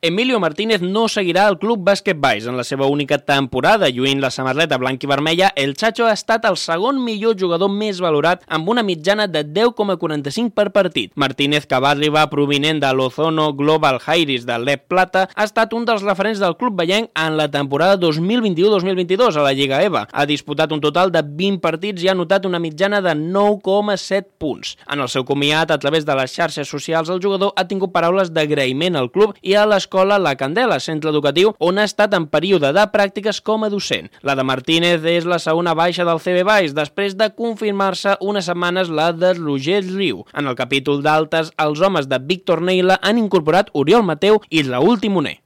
Emilio Martínez no seguirà al Club Bàsquet Valls. En la seva única temporada, lluint la samarreta blanc i vermella, el Chacho ha estat el segon millor jugador més valorat amb una mitjana de 10,45 per partit. Martínez, que va arribar provinent de l'Ozono Global Jairis de l'Ep Plata, ha estat un dels referents del club vallenc en la temporada 2021-2022 a la Lliga EVA. Ha disputat un total de 20 partits i ha anotat una mitjana de 9,7 punts. En el seu comiat, a través de les xarxes socials, el jugador ha tingut paraules d'agraïment al club i a l'escola La Candela, centre educatiu, on ha estat en període de pràctiques com a docent. La de Martínez és la segona baixa del CB Valls, després de confirmar-se unes setmanes la de Roger Riu. En el capítol d'altes, els homes de Víctor Neila han incorporat Oriol Mateu i Raúl Timoner.